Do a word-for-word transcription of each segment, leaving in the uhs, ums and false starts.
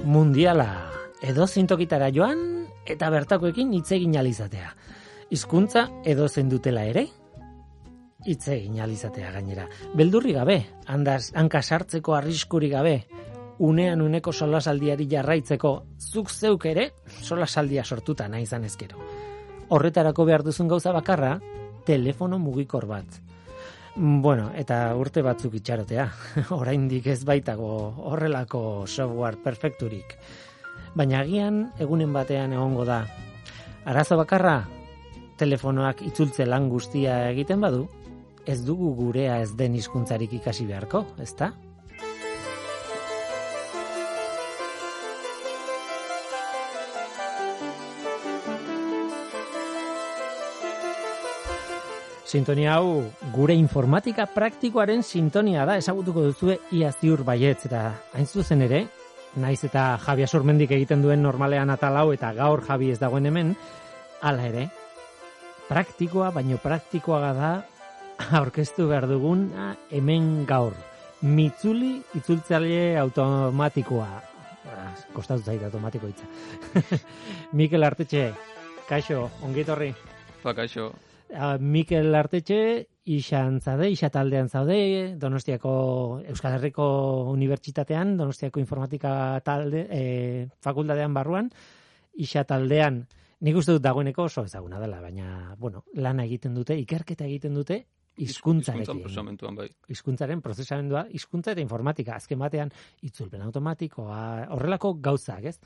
mundiala, edo zintokitara joan eta bertakoekin hitz egin alizatea. Hizkuntza edo dutela ere, hitz egin alizatea gainera. Beldurri gabe, handaz, hanka sartzeko arriskuri gabe, unean uneko solasaldiari jarraitzeko, zuk zeuk ere solasaldia sortuta nahi izan ezkero. Horretarako behar duzun gauza bakarra, telefono mugikor bat. Bueno, eta urte batzuk itxarotea. Oraindik ez baitago horrelako software perfekturik. Baina agian egunen batean egongo da. Arazo bakarra, telefonoak itzultze lan guztia egiten badu, ez dugu gurea ez den hizkuntzarik ikasi beharko, ezta? Sintonia hau gure informatika praktikoaren sintonia da, ezagutuko duzue ia ziur baietz, eta hain zuzen ere, naiz eta Javi Asurmendik egiten duen normalean atal hau eta gaur Javi ez dagoen hemen, hala ere, praktikoa baino praktikoa da aurkeztu behar dugun hemen gaur. Mitzuli itzultzaile automatikoa. Kostatu zait automatiko hitza. Mikel Artetxe, kaixo, ongietorri. Ba, kaixo. Uh, Mikel Artetxe, ixan zaude, isa taldean zaude, Donostiako Euskal Herriko Unibertsitatean, Donostiako Informatika talde, e, fakultatean barruan, isa taldean, nik uste dut dagoeneko oso ezaguna dela, baina, bueno, lana egiten dute, ikerketa egiten dute, hizkuntzarekin. Hizkuntzaren bai. Hizkuntzaren prozesamendua, hizkuntza eta informatika, azken batean, itzulpen automatikoa, horrelako gauzak, ez?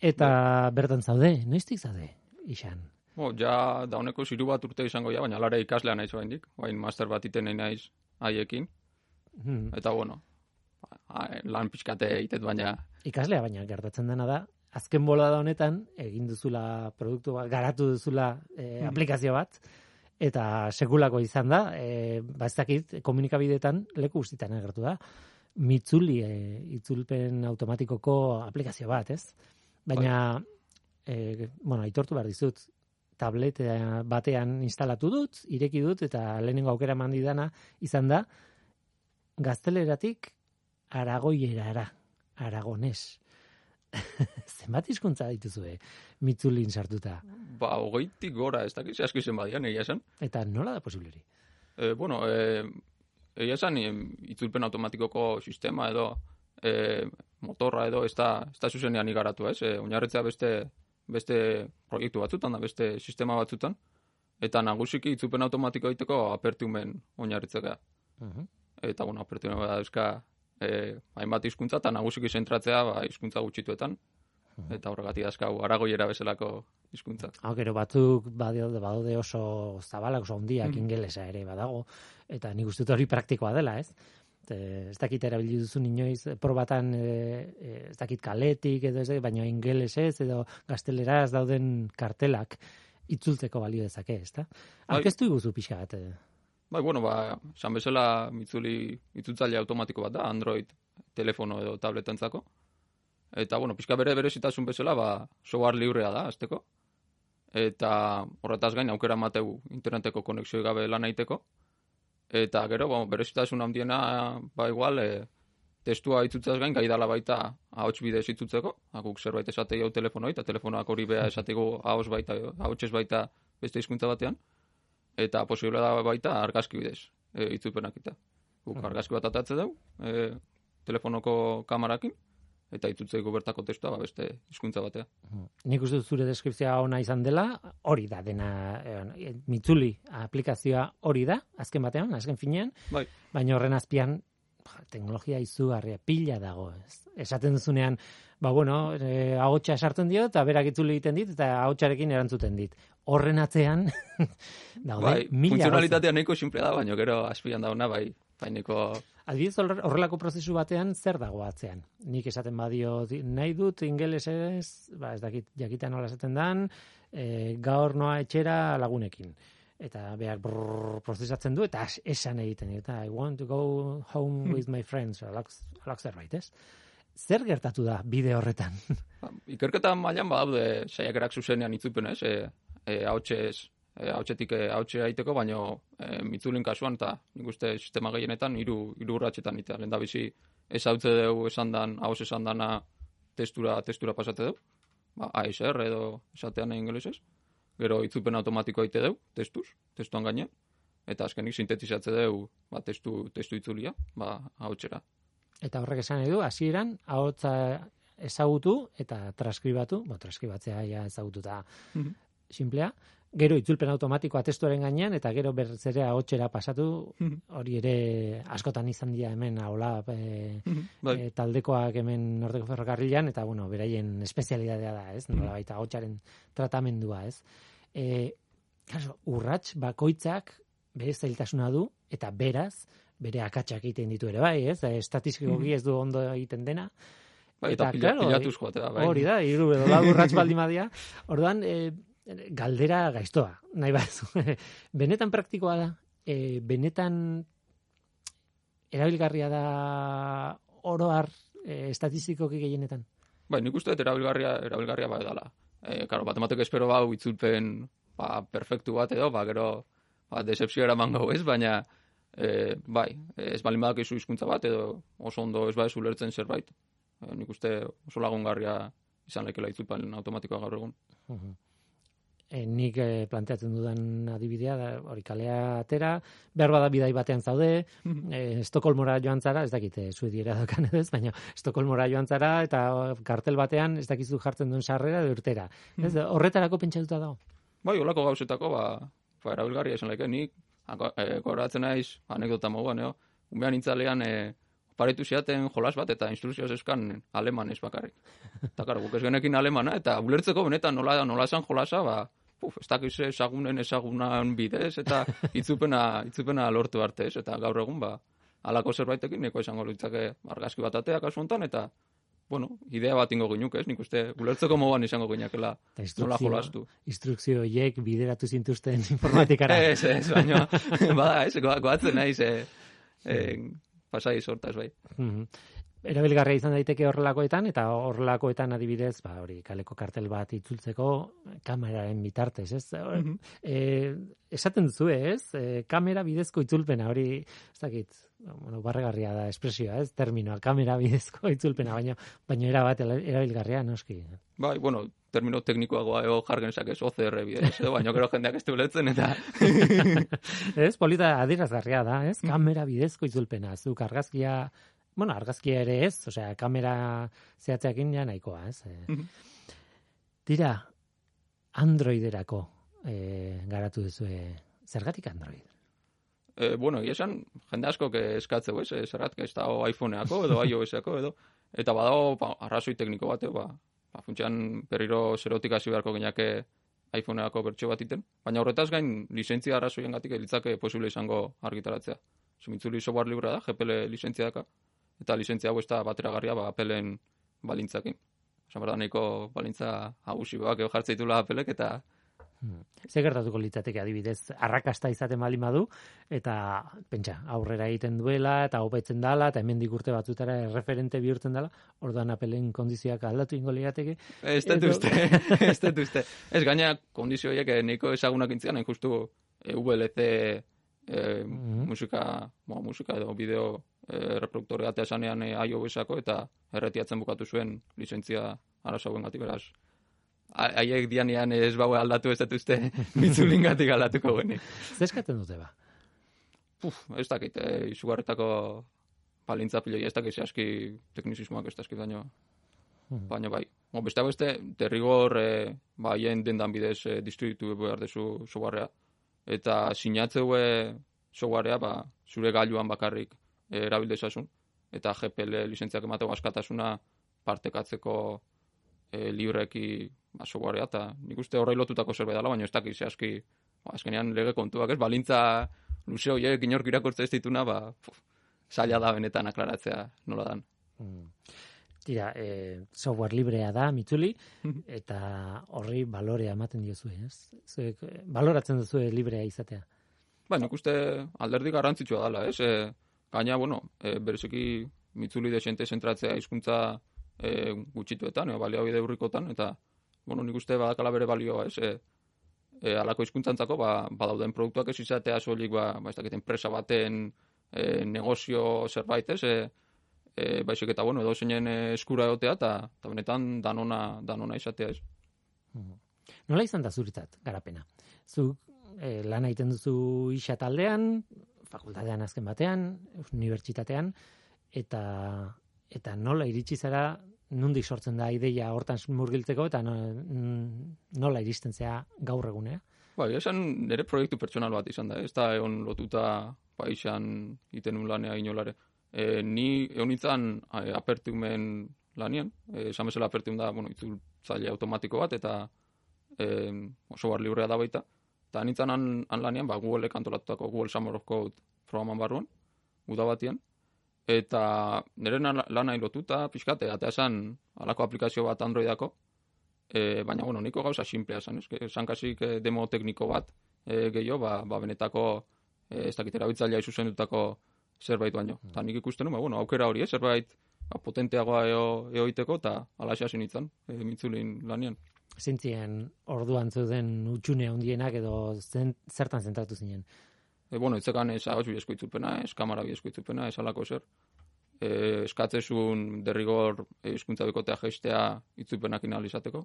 Eta bertan zaude, noiztik zaude, ixan? Bo, ja dauneko ziru bat urte izango ja, baina lara ikaslea naiz oraindik, bain master bat iten nahi naiz haiekin. Hmm. Eta bueno, lan pixkate egiten baina... Ikaslea, baina gertatzen dena da, azken bolada honetan, egin duzula produktu bat, garatu duzula e, aplikazio bat, eta sekulako izan da, e, bazakit, komunikabideetan leku guztietan agertu da, Mitzuli e, itzulpen automatikoko aplikazio bat, ez? Baina, e, bueno, aitortu behar dizut, tablet batean instalatu dut, ireki dut, eta lehenengo aukera mandidana izan da, gazteleratik aragoierara, aragones. Zenbat hizkuntza dituzue, Mitzulin sartuta? Ba, hogeitik gora, ez dakiz, aski zen badian, egia esan. Eta nola da posibleri? E, bueno, e, egia esan, itzulpen automatikoko sistema edo, e, motorra edo, ez da, ez da zuzenean igaratu, ez? E, oinarritzea beste... beste proiektu batzutan da, beste sistema batzutan, eta nagusiki itzulpen automatiko egiteko apertumen oinarritzea. Uh-huh. Eta, bueno, apertumen bada euska eh, hainbat hizkuntza, eta nagusiki zentratzea ba, hizkuntza gutxituetan, uh-huh. Eta horregatik azkau aragoiera bezalako hizkuntza. Hau, gero batzuk badaude, badaude oso zabalak, oso handiak, uh-huh. Ingelesa ere badago, eta nik uste dut hori praktikoa dela, ez? Ez dakit erabili duzun inoiz, probatan ez dakit kaletik, edo ez, baina ingelesez edo gazteleraz dauden kartelak itzultzeko balio dezake, ez da? Aurkeztu iguzu pixka bat. Bai, bueno, ba, esan bezala Mitzuli itzultzaile automatiko bat da, Android telefono edo tabletentzako. Eta, bueno, pixka bere berezitasun bezala, ba, software librea da, azteko. Eta horretaz gain, aukera mateu interneteko konexio gabe lan egiteko. Eta gero, bueno, berezitasun handiena, ba igual, e, testua itzutzaz gain, gaidala baita ahots bidez itzutzeko, akuk zerbait esatei hau telefonoi, eta telefonak hori beha esateko ahots baita, ahotsez baita beste hizkuntza batean, eta posible da baita argazki bidez e, itzulpenak eta. Guk argazki bat atatze dugu, e, telefonoko kamarakin, eta itzultzeiko bertako testua ba, beste hizkuntza batea. Nik uste zure deskripzioa ona izan dela, hori da dena, e, Mitzuli aplikazioa hori da, azken batean, azken finean, bai. Baina horren azpian, teknologia izugarria, pila dago. Ez. Esaten duzunean, ba bueno, e, ahotsa sartzen dio, eta berak itzuli egiten dit, eta ahotsarekin erantzuten dit. Horren atzean, daude, bai, mila. Funtzionalitatea nahiko simple da, baina gero azpian dauna, bai, baineko... Adibidez, horrelako prozesu batean zer dago atzean? Nik esaten badio nahi dut ingelesez, ba ez dakit jakitan nola esaten dan, e, gaur noa etxera lagunekin. Eta behar brrr, prozesatzen du, eta esan egiten. Eta I want to go home with my friends. Alak, alak zerbait, ez? Zer gertatu da bide horretan? Ba, ikerketa mailan badaude saiakerak zuzenean itzulpen, ez? E, e, hautsez, e, hautsetik hautse aiteko, baino e, Mitzulin kasuan, eta nik uste sistema gehienetan hiru hiru urratsetan ita. Lehendabizi ez hautze dugu esan dan, hauz esan dana testura, testura pasate deu, ba, A S R edo esatean ingelesez, gero itzulpen automatikoa ite deu, testuz, testuan gainean, eta azkenik sintetizatze deu, ba, testu, testu itzulia, ba, ahotsera. Eta horrek esan edu, hasieran ahotsa ezagutu eta transkribatu, bo, transkribatzea ja ezagututa Mhm. simplea, gero itzulpen automatikoa testuaren gainean, eta gero berriz ere ahotsera pasatu, Mhm. hori ere askotan izan dira hemen, hola, e, Mhm, bai. e, taldekoak hemen Nordeko Ferrokarrilan, eta bueno, beraien espezialidadea da, ez? Nola baita ahotsaren tratamendua, ez? E, claro, urrats bakoitzak bere zailtasuna du, eta beraz, bere akatsak egiten ditu ere, bai, ez? Estatistikoki ez du ondo egiten dena. Bai, eta, pila, claro, pilatuz joatea, bai. Hori da, hiru edo lau urrats baldin badia. Orduan, e, galdera gaiztoa, nahi bazu. Benetan praktikoa da, e, benetan erabilgarria da oro har e, estatistikoki gehienetan. Bai, nik uste dut erabilgarria, erabilgarria bai dala. E, karo, bat emateko espero bau itzulpen ba, perfektu bat edo, ba, gero ba, decepzio eraman gau ez, baina e, bai, ez balin badak izu hizkuntza bat edo oso ondo ez ba ez ulertzen zerbait. E, nik uste oso lagungarria izan lekela itzulpen automatikoa gaur egun. Uh-huh. E, nik e, planteatzen dudan adibidea, da, hori kalea atera, behar bada bidai batean zaude, e, Estokolmora joan zara, ez dakit, e, suediera dokan edo ez, baina Estokolmora joan zara, eta kartel batean ez dakizu jartzen duen sarrera edo urtera. Ez, horretarako pentsatuta dago? Bai, holako gauzetako, ba, ba erabilgarria izan leke, nik e, goratzen naiz, anekdota moguan, eo, umean intzalean, e, paretu ziaten jolas bat, eta instrukzioz euskan aleman ez bakarrik. Eta, karo, guk ez genekin alemana, eta ulertzeko benetan nola, nola esan jolasa, ba, puf, ez dakiz ezagunen ezagunan bidez, eta itzupena, itzupena lortu arte, ez? Eta gaur egun, ba, alako zerbaitekin, neko esango litzake argazki bat atea kasu hontan, eta, bueno, idea bat ingo ginuke, ez? Nik uste, ulertzeko moduan izango ginakela nola jolastu. Instrukzio horiek bideratu zintuzten informatikara. ez, ez, baina, bada, ez, goatzen naiz, e, e, pasai sortaz, bai. Mm-hmm. Erabilgarria izan daiteke horrelakoetan, eta horrelakoetan adibidez, ba, hori, kaleko kartel bat itzultzeko kameraren bitartez, ez? Mm-hmm. E, esaten duzu, ez? E, kamera bidezko itzulpena, hori, ez dakit, bueno, barregarria da espresioa, ez? Terminoa, kamera bidezko itzulpena, baina baina era bat erabilgarria, noski. Bai, bueno, termino teknikoagoa ego jargen esakez, O C R bidez, edo, baina gero jendeak ez ulertzen, eta... ez, polita adierazgarria da, ez? Kamera bidezko itzulpena, zuk argazkia... Bueno, argazkia ere ez, osea, kamera zehatzeakin ja nahikoa, ez? Mm-hmm. Tira, Androiderako e, garatu duzu, zergatik Android? E, bueno, esan, jende asko eskatzeu, ez? Zergatik ez da iPhoneako edo iOSeko edo, eta badago ba, arrazoi tekniko bat, ba, ba, funtsean berriro zerotik hasi beharko gineake iPhoneako bertxo bat iten, baina horretaz gain lizentzia arrazoien gatik litzake posible izango argitaratzea. Zimitzuli software librea da, G P L lizentzia daka, eta lizentzia hau ez da bateragarria ba, Appleen balintzakin. Osa, berda, nahiko balintza agusi bak, jartza ditula Appleek, eta... Hmm. Zer gertatuko litzateke adibidez, arrakasta izaten baldin badu, eta pentsa, aurrera egiten duela, eta hobetzen dala, eta hemendik urte batzutara erreferente bihurtzen dala, orduan Appleen kondizioak aldatu ingo lirateke. Ez dut uste, ez dut uste. Ez gaina kondizioiek nahiko ezagunak intzian, hain justu V L C e, mm-hmm. musika, bo, musika edo bideo e, reproduktorea esanean e, iOS-ako, eta erretiatzen bukatu zuen lizentzia arazo hauen gatik, beraz. Haiek dianean ez baue aldatu ez dut uste mitzulingatik aldatuko genik. Zeskatzen dute ba? Puf, ez dakit, e, izugarretako palintza piloi, ez dakit zehazki teknizismoak ez dakit baino. Hmm. Baina bai. O, beste beste, derrigor e, ba, hien dendan bidez e, distributu behar dezu softwarea. Eta sinatzeue softwarea ba, zure gailuan bakarrik e, erabildezasun. Eta G P L lizentziak emateko askatasuna partekatzeko e, libreki ba, softwarea, eta nik uste horrei lotutako zerbait dela, baina ez dakiz zehazki, ba, azkenean lege kontuak, ez, balintza luze horiek inork irakurtze ez dituna, ba, puf, zaila da benetan aklaratzea nola dan. Hmm. Tira, e, software librea da, mitzuli, eta horri balorea ematen diozu, ez? Zuek, baloratzen duzu librea izatea. Ba, nik uste alderdi garrantzitsua dela, ez? E, gaina, bueno, e, bereziki mitzuli desente zentratzea hizkuntza e, gutxituetan, e, baliabide urrikotan, eta, bueno, nik uste badakala bere balioa, ez? E, e, alako hizkuntzantzako, ba, badauden produktuak ez izatea soilik, ba, ba ez dakit, enpresa baten e, negozio zerbait, ez? E, e, baizik eta, bueno, edo zeinen eskura egotea, eta benetan danona, danona izatea ez. Nola izan da zuretzat garapena? Zu e, lan egiten duzu isa taldean, fakultatean azken batean, unibertsitatean, eta, eta nola iritsi zara, nondik sortzen da ideia hortan murgiltzeko, eta no, nola iristen zea gaur egunea? Bai, esan nire proiektu pertsonal bat izan da, ez da egon lotuta paixan iten un lanea inolare. E, ni egon itzan e, apertiumen lanien, e, esan bezala apertium da, bueno, itzultzaile automatiko bat, eta e, software librea da baita, eta nintzen han, han lanian, ba, Google kantolatutako Google Summer of Code programan barruan, uda batian, eta nire lana lotuta pixkat, eta esan alako aplikazio bat Androidako, e, baina, bueno, niko gauza simplea esan, esan kasik demo tekniko bat e, gehiago, ba, ba benetako, e, ez dakit erabiltzailea izuzendutako zerbait baino. Eta nik ikusten nu, ba, bueno, aukera hori, eh, zerbait ba, potenteagoa eo, eoiteko, eta alaxea zinitzen, e, mitzulin lanian. Zintzien orduan zeuden utxune handienak edo zen, zertan zentratu zinen? E, bueno, itzekan ez ahots bidezko itzulpena, ez kamara bidezko itzulpena, ez alako zer. E, eskatzezun derrigor hizkuntza e, bikotea geistea itzulpenak inalizateko.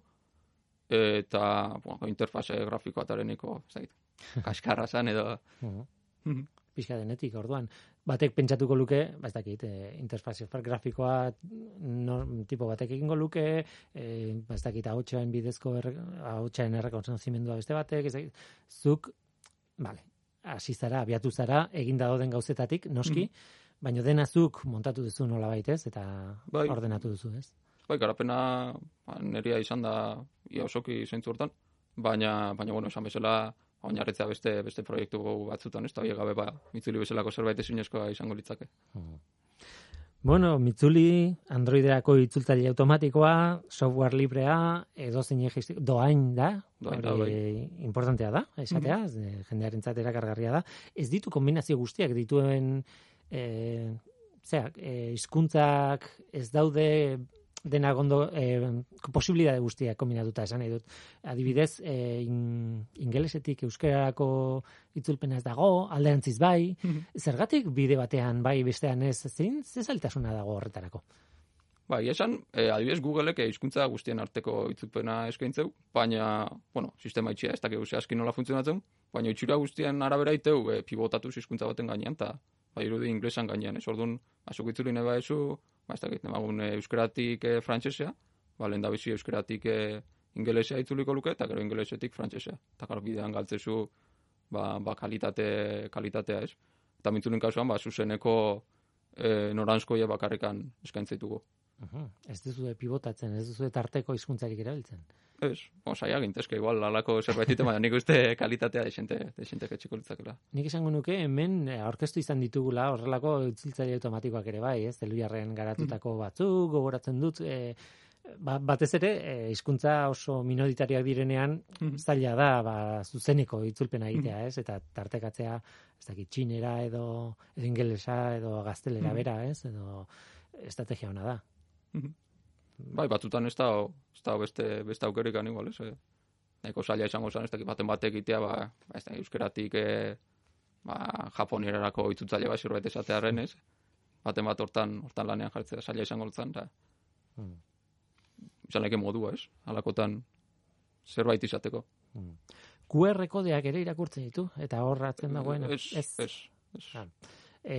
E, eta, bueno, interfase grafikoa tareniko, ez dakit, kaskarra zan edo... Uh-huh. Pixka denetik, orduan. Batek pentsatuko luke, ba ez dakit, e, interfazio grafikoa no, tipo batek egingo luke, e, ba ez dakit, ahotsaen bidezko erre, ahotsaen errekonozimendua beste batek, ez dakit, zuk, bale, hasi zara, abiatu zara, eginda dauden gauzetatik, noski, mm. baina dena zuk montatu duzu nola baitez, eta bai. Ordenatu duzu, ez? Bai, garapena ba, neria izan da, ia osoki zeintzu hortan, baina, baina, bueno, esan bezala, oinarritzea beste beste proiektu batzutan, ez da, gabe ba, Mitzuli bezalako zerbait ezinezkoa izango litzake. Hmm. Bueno, Mitzuli, Androiderako itzultzaile automatikoa, software librea, edozein doain da, doain da, bai. Importantea da, esatea, mm-hmm. jendearentzat erakargarria da. Ez ditu kombinazio guztiak dituen, e, zera, e, hizkuntzak ez daude dena gondo eh, posibilitate guztiak kombinatuta esan nahi dut. Adibidez, eh, in, ingelesetik euskararako itzulpena ez dago, alderantziz bai, zergatik bide batean bai bestean ez, zein zezaltasuna dago horretarako? Bai, esan, eh, adibidez Googleek hizkuntza guztien arteko itzulpena eskaintzeu, baina, bueno, sistema itxia ez dakigu zehazki nola funtzionatzen, baina itxura guztien arabera iteu eh, pivotatu hizkuntza baten gainean, eta bai irudi inglesan gainean, ez orduan, azuk itzulin eba ezu, ba, ez dakit, nemagun e, euskaratik e, frantsesea, ba, lehen da bizi euskaratik e, ingelesea itzuliko luke, eta gero ingelesetik frantsesea. Eta gara bidean galtzezu ba, ba kalitate, kalitatea ez. Eta mintzulin kasuan, ba, zuzeneko e, noranzkoia bakarrikan eskaintzeituko. Uh-huh. Ez duzu pivotatzen, ez duzu tarteko hizkuntzarik erabiltzen. Ez, saia gintezke, igual, alako zerbaitite, baina nik uste kalitatea desente, desente ketxiko litzakela. Nik esango nuke, hemen aurkeztu izan ditugula horrelako itzultzaile automatikoak ere bai, ez, Teluiarren garatutako batzuk, gogoratzen dut, e, ba, batez ere, hizkuntza oso minoritarioak direnean, mm-hmm. zaila da, ba, zuzeneko itzulpena egitea, ez, eta tartekatzea, ez dakit, txinera edo, edo ingelesa, edo gaztelera mm-hmm. bera, ez, edo estrategia ona da. Mm-hmm. Bai, batzutan ez da, ez da beste, beste aukerikan igual, ez? Nahiko zaila izango zen, ez da, baten batek egitea, ba, ez da, euskeratik, e, ba, japonierarako itzultzaile bat zerbait esatearen, ez? Baten bat hortan, hortan lanean jartzea zaila izango zen, eta hmm. izan leke modua, ez? Halakotan zerbait izateko. Hmm. Q R kodeak ere irakurtzen ditu, eta horratzen dagoen? Ez, ez. ez, ez. Ah. E,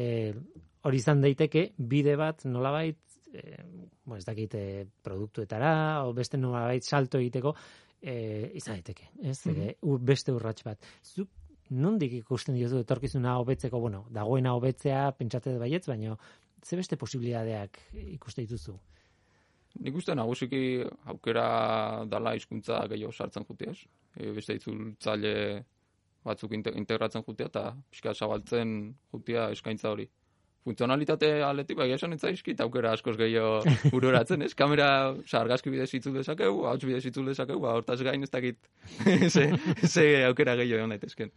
hori izan daiteke, bide bat nolabait, eh, bo, ez dakit eh, produktuetara, o beste nolabait salto egiteko, eh, izan daiteke, ez? Mm-hmm. Beste urrats bat. Zuk nondik ikusten diozu etorkizuna hobetzeko, bueno, dagoena hobetzea, pentsate baietz, baina ze beste posibilitateak ikuste dituzu? Nik uste nagusiki aukera dala hizkuntza gehiago sartzen jutea, ez? E, beste itzultzaile batzuk integratzen jutea eta pixka zabaltzen jutea eskaintza hori. Funtzionalitate aletik, bai, esan etzaizkit aukera askoz gehiago uroratzen, ez? Kamera, oza, argazki bidez itzul dezakegu, ahots bidez itzul dezakegu, ba, hortaz gain ez dakit ze, ze aukera gehiago egon daitezken.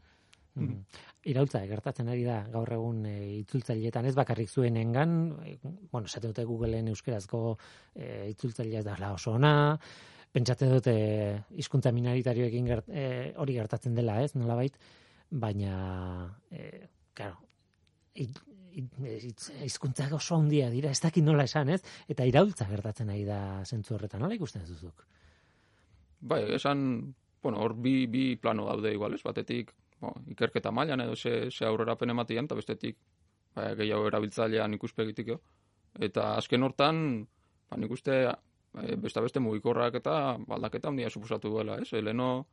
Mm. Iraultza, gertatzen ari da gaur egun e, itzultzaileetan ez bakarrik zuenengan, e, bueno, esate dute Googleen euskerazko e, itzultzailea da la oso ona, pentsatzen dute hizkuntza minoritarioekin gert, e, hori gertatzen dela, ez, nolabait, baina, e, claro, hizkuntzak oso handia dira, ez dakit nola esan, ez? Eta iraultza gertatzen ari da zentzu horretan, nola ikusten duzuk? Bai, esan, bueno, hor bi, bi plano daude igual, ez? Batetik, bo, ikerketa mailan edo ze, ze aurrerapen ematean, eta bestetik, ba, gehiago erabiltzailean ikuspegitik jo. Eta azken hortan, ba, nik uste, e, beste beste mugikorrak eta aldaketa handia suposatu duela, ez? Leno,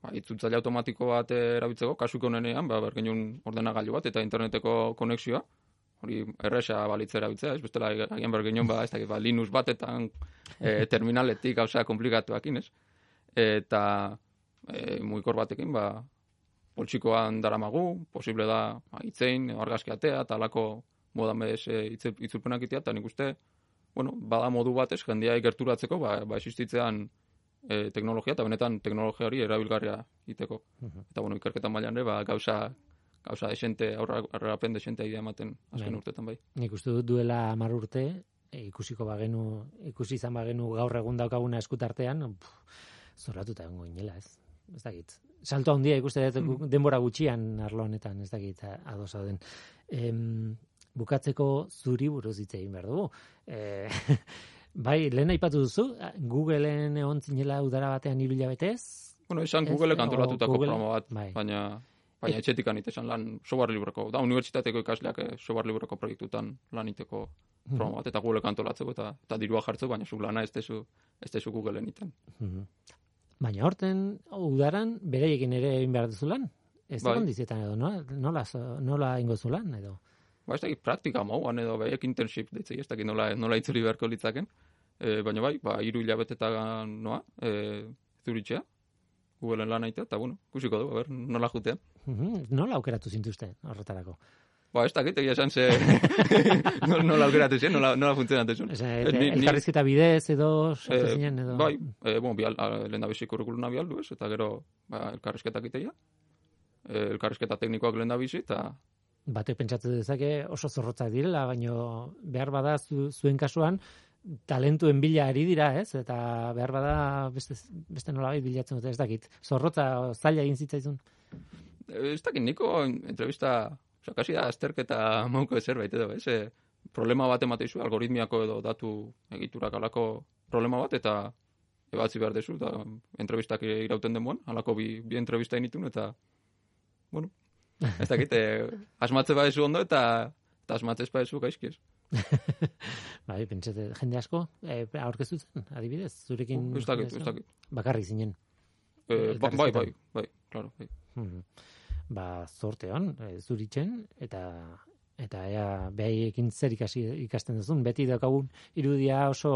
ba, itzultzaile automatiko bat erabiltzeko, kasuko honenean, ba, bergenun ordenagailu bat eta interneteko konexioa, hori erresa balitza erabiltzea, ez bestela agian bergenun, ba, ez dakit, ba, Linux batetan e, terminaletik gauza komplikatuakin, ez? Eta e, mugikor batekin, ba, poltsikoan daramagu, posible da ba, itzein, argazki atea, eta alako modan bez e, itzulpenak itea, eta nik uste, bueno, bada modu batez, jendia ikerturatzeko, ba, ba existitzean E, teknologia, eta benetan teknologia hori erabilgarria iteko. Uh-huh. Eta, bueno, ikerketan mailan ere, ba, gauza, gauza desente, aurrerapen desente idea ematen azken urtetan bai. Nik uste dut duela hamar urte, e, ikusiko bagenu, ikusi izan bagenu gaur egun daukaguna eskutartean, pff, zoratuta egongo inela, ez? Ez dakit. Salto handia ikuste dut mm. denbora gutxian arlo honetan, ez dakit adosa den. Em, bukatzeko zuri buruz hitz egin behar dugu. E, Bai, lehen aipatu duzu, Googleen egon zinela udara batean hiru hilabetez? Bueno, esan Googleek antolatutako programa bat, bai. baina, baina etxetik anite esan lan software libreko. Da, unibertsitateko ikasleak software libreko proiektutan lan iteko programa bat, eta Googleek antolatzeko, eta, eta dirua jartzeko, baina zu lana ez dezu, ez dezu Googleen iten. Baina horten, udaran, bereiekin ere egin behar duzu lan? Ez bai. Kondizietan edo, no? nola, nola ingo zu lan edo? Ba, ez dakit praktika mauan edo behiek internship ditzei, ez dakit nola, nola itzuli beharko litzaken. E, baina bai, ba, iru hilabetetan noa, e, zuritxea, Googleen lan aitea, eta bueno, kusiko du, ber, nola jutean. Mm-hmm. Nola aukeratu zintuzte horretarako? Ba, ez dakit, egia esan ze nola aukeratu zen, nola, nola funtzionatu zen. Elkarrizketa bidez edo, sartu e, zinen edo? Bai, e, bueno, bial, lehen da bizi kurrikuluna bialdu ez, eta gero ba, elkarrizketak iteia, e, elkarrizketa teknikoak lehen da bizi, eta batek pentsatu dezake oso zorrotzak direla, baino behar bada zu, zuen kasuan talentuen bila ari dira, ez? Eta behar bada beste, beste nolabait bilatzen dute, ez dakit. Zorrotza zaila egin zitzaizun? Ez dakit, niko entrevista, oza, kasi da azterketa mauko zerbait edo, ez? E, problema bat emateizu, algoritmiako edo datu egiturak alako problema bat, eta ebatzi behar dezu, eta entrevistak irauten denboan, alako bi, bi entrevista initun, eta, bueno, ez dakit, eh, asmatze badezu ondo eta, eta asmatzez badezu gaizkiez. Bai, pentsate, jende asko, eh, aurkeztu zen, adibidez, zurekin... Ez dakit, ez dakit. Bakarrik zinen. Eh, ba, bai, bai, bai, claro. Bai. Hmm. Ba, zorte hon, e, zuritzen, eta eta ea behaiekin zer ikasi ikasten duzun, beti daukagun irudia oso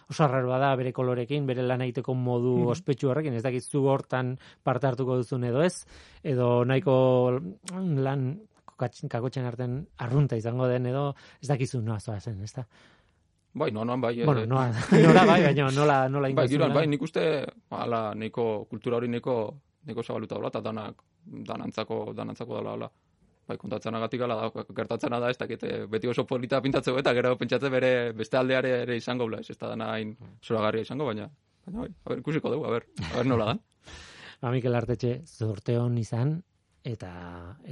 oso arraroa da bere kolorekin, bere lan egiteko modu mm-hmm. ospetsu horrekin, ez dakit zu hortan parte hartuko duzun edo ez, edo nahiko lan kakotxen artean arrunta izango den edo ez dakizu noa zoa zen, ez da? Bai, no, no, bai. Bueno, noa, nora bai, baina nola, nola bai, giroan, bai, nik uste, ala, niko kultura hori niko, niko zabaluta dola, eta danak, danantzako, danantzako dala, ala. Bai, kontatzen agatik ala da, gertatzen da, ez dakit, beti oso polita pintatzeko, eta gero pentsatze bere beste aldeare ere izango, bla, ez, ez da dana hain zoragarria izango, baina, baina, bai, a ber, ikusiko dugu, a ber, a ber nola dan. Ba, Mikel Artetxe, zorte hon izan, eta,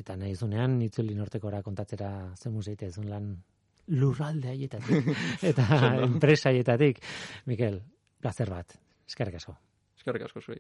eta nahi zunean, itzuli nortekora kontatzera zen museite ezun lan lurralde haietatik, eta enpresa haietatik. Mikel, plazer bat, eskerrik asko. Eskerrik asko zuei.